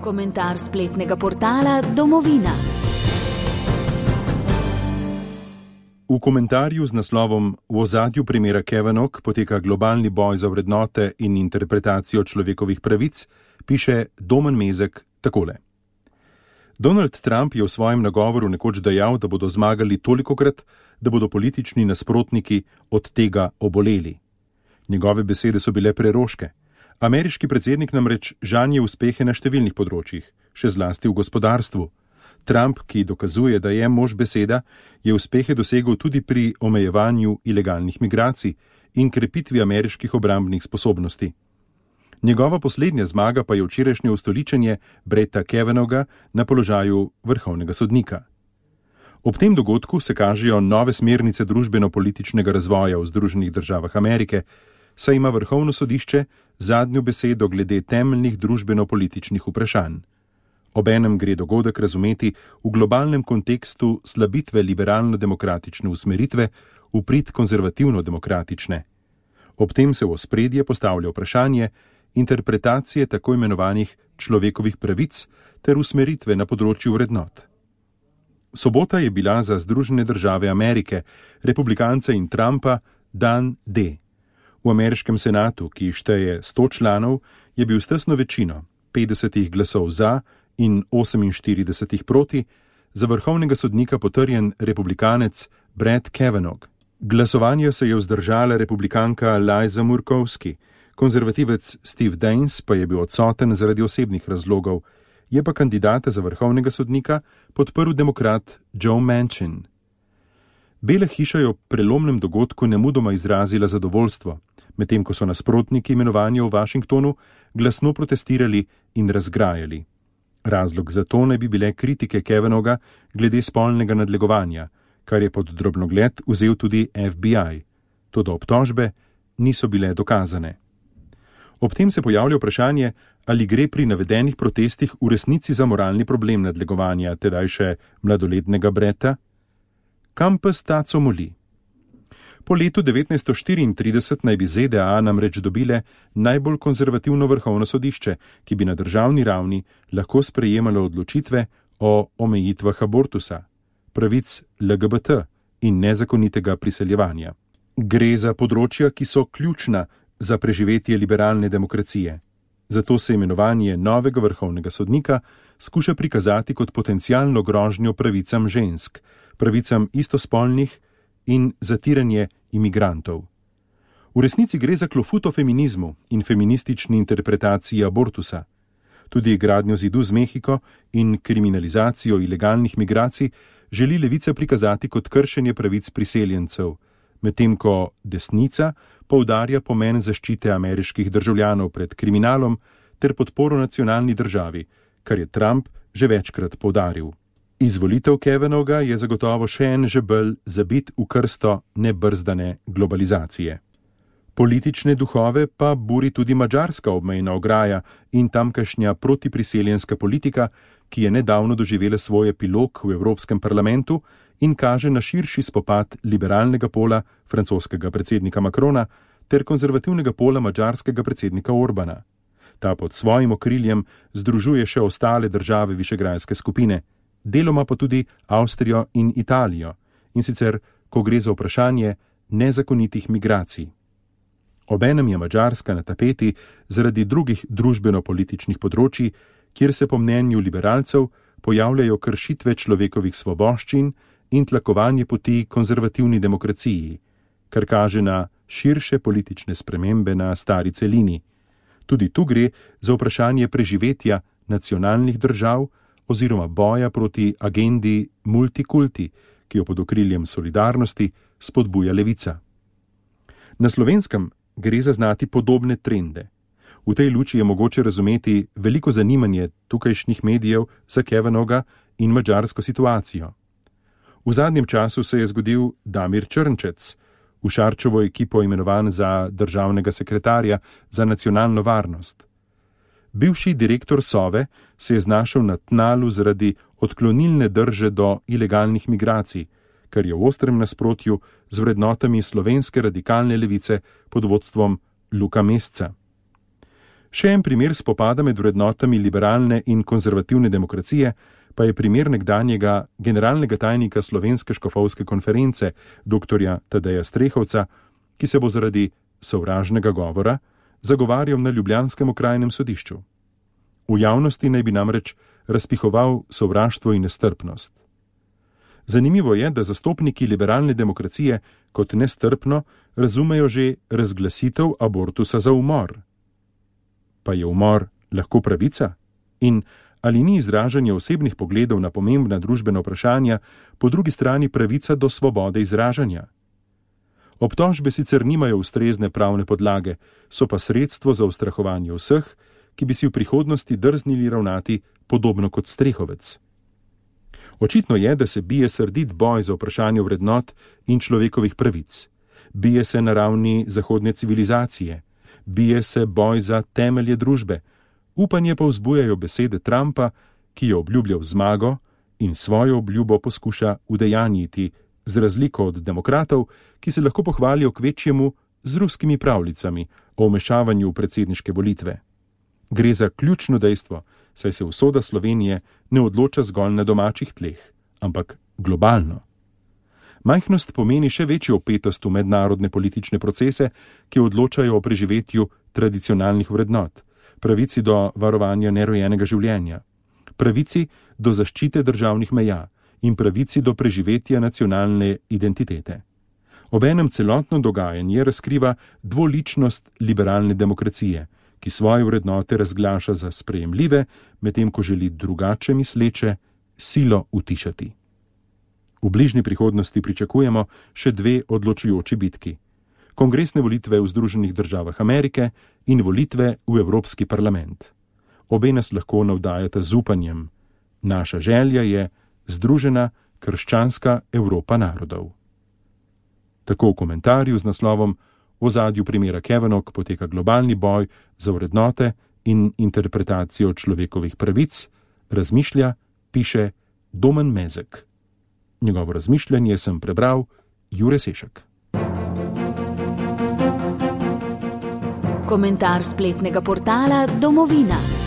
Komentar spletnega portala Domovina. V komentarju z naslovom V ozadju primera Kavanaugh poteka globalni boj za vrednote in interpretacijo človekovih pravic, piše Domen Mezek takole. Donald Trump je v svojem nagovoru nekoč dejal, da bodo zmagali tolikokrat, da bodo politični nasprotniki od tega oboleli. Njegove besede so bile preroške. Ameriški predsednik namreč žanje uspehe na številnih področjih, še zlasti v gospodarstvu. Trump, ki dokazuje, da je mož beseda, je uspehe dosegel tudi pri omejevanju ilegalnih migracij in krepitvi ameriških obrambnih sposobnosti. Njegova poslednja zmaga pa je včerajšnje ustoličenje Bretta Kavanaugha na položaju vrhovnega sodnika. Ob tem dogodku se kažejo nove smernice družbeno-političnega razvoja v Združenih državah Amerike, saj ima vrhovno sodišče zadnjo besedo glede temeljnih družbeno-političnih vprašanj. Obenem gre dogodek razumeti v globalnem kontekstu slabitve liberalno-demokratične usmeritve v prid konzervativno-demokratične. Ob tem se v ospredje postavlja vprašanje interpretacije tako imenovanih človekovih pravic ter usmeritve na področju vrednot. Sobota je bila za Združene države Amerike, republikance in Trumpa dan D. V ameriškem senatu, ki šteje 100 članov, je bil s tesno večino, 50 glasov za in 48 proti, za vrhovnega sodnika potrjen republikanec Brett Kavanaugh. Glasovanje se je vzdržala republikanka Liza Murkowski, konzervativec Steve Daines pa je bil odsoten zaradi osebnih razlogov, je pa kandidata za vrhovnega sodnika podprl demokrat Joe Manchin. Bela hiša je ob prelomnem dogodku nemudoma izrazila zadovoljstvo, medtem ko so nasprotniki imenovanja v Washingtonu glasno protestirali in razgrajali. Razlog za to naj bi bile kritike Kavanaugha glede spolnega nadlegovanja, kar je pod drobnogled vzel tudi FBI. Toda obtožbe niso bile dokazane. Ob tem se pojavlja vprašanje, ali gre pri navedenih protestih v resnici za moralni problem nadlegovanja, tedaj še mladoletnega Bretta. Kam pes taco moli? Po letu 1934 naj bi ZDA namreč dobile najbolj konzervativno vrhovno sodišče, ki bi na državni ravni lahko sprejemalo odločitve o omejitvah abortusa, pravic LGBT in nezakonitega priseljevanja. Gre za področja, ki so ključna za preživetje liberalne demokracije. Zato se imenovanje novega vrhovnega sodnika skuša prikazati kot potencialno grožnjo pravicam žensk, pravicam istospolnih in zatiranje imigrantov. V resnici gre za klofut o feminizmu in feministični interpretaciji abortusa. Tudi gradnjo zidu z Mehiko in kriminalizacijo ilegalnih migracij želi levica prikazati kot kršenje pravic priseljencev, medtem ko desnica poudarja pomen zaščite ameriških državljanov pred kriminalom ter podporo nacionalni državi, kar je Trump že večkrat poudaril. Izvolitev Kavanaugha je zagotovo še en žebelj zabit v krsto nebrzdane globalizacije. Politične duhove pa buri tudi madžarska obmejna ograja in tamkajšnja protipriseljenska politika, ki je nedavno doživela svoj epilog v Evropskem parlamentu in kaže na širši spopad liberalnega pola francoskega predsednika Macrona ter konzervativnega pola madžarskega predsednika Orbana. Ta pod svojim okriljem združuje še ostale države Višegrajske skupine, deloma pa tudi Avstrijo in Italijo, in sicer, ko gre za vprašanje nezakonitih migracij. Obenem je Madžarska na tapeti zaradi drugih družbeno-političnih področji, kjer se po mnenju liberalcev pojavljajo kršitve človekovih svoboščin in tlakovanje poti konzervativni demokraciji, kar kaže na širše politične spremembe na stari celini. Tudi tu gre za vprašanje preživetja nacionalnih držav oziroma boja proti agendi multikulti, ki jo pod okriljem solidarnosti spodbuja levica. Na Slovenskem gre zaznati podobne trende. V tej luči je mogoče razumeti veliko zanimanje tukajšnjih medijev za Kavanaugha in madžarsko situacijo. V zadnjem času se je zgodil Damir Črnčec, v Šarčevo ekipo imenovan za državnega sekretarja za nacionalno varnost. Bivši direktor Sove se je znašel na tnalu zaradi odklonilne drže do ilegalnih migracij, kar je v ostrem nasprotju z vrednotami slovenske radikalne levice pod vodstvom Luka Mesca. Še en primer spopada med vrednotami liberalne in konzervativne demokracije pa je primer nekdanjega generalnega tajnika Slovenske škofovske konference, dr. Tadeja Strehovca, ki se bo zaradi sovražnega govora zagovarjal na ljubljanskem okrajnem sodišču. V javnosti naj bi namreč razpihoval sovraštvo in nestrpnost. Zanimivo je, da zastopniki liberalne demokracije kot nestrpno razumejo že razglasitev abortusa za umor. Pa je umor lahko pravica? In ali ni izražanje osebnih pogledov na pomembna družbena vprašanja po drugi strani pravica do svobode izražanja? Obtožbe sicer nimajo ustrezne pravne podlage, so pa sredstvo za ustrahovanje vseh, ki bi si v prihodnosti drznili ravnati podobno kot Strehovec. Očitno je, da se bije srdit boj za vprašanje vrednot in človekovih pravic. Bije se na ravni zahodne civilizacije. Bije se boj za temelje družbe. Upanje pa vzbujajo besede Trumpa, ki je obljubljal zmago in svojo obljubo poskuša udejanjiti, z razliko od demokratov, ki se lahko pohvalijo kvečjemu z ruskimi pravljicami o vmešavanju v predsedniške volitve. Gre za ključno dejstvo, saj se usoda Slovenije ne odloča zgolj na domačih tleh, ampak globalno. Majhnost pomeni še večjo vpetost v mednarodne politične procese, ki odločajo o preživetju tradicionalnih vrednot, pravici do varovanja nerojenega življenja, pravici do zaščite državnih meja in pravici do preživetja nacionalne identitete. Obenem celotno dogajanje razkriva dvoličnost liberalne demokracije, ki svoje vrednote razglaša za sprejemljive, medtem ko želi drugače misleče silo utišati. V bližnji prihodnosti pričakujemo še dve odločujoči bitki: kongresne volitve v Združenih državah Amerike in volitve v Evropski parlament. Obe nas lahko navdajata z upanjem. Naša želja je združena krščanska Evropa narodov. Tako v komentarju z naslovom V ozadju primera Kavanaugh poteka globalni boj za vrednote in interpretacijo človekovih pravic, razmišlja, piše Domen Mezek. Njegovo razmišljanje sem prebral Jure Sešek. Komentar spletnega portala Domovina.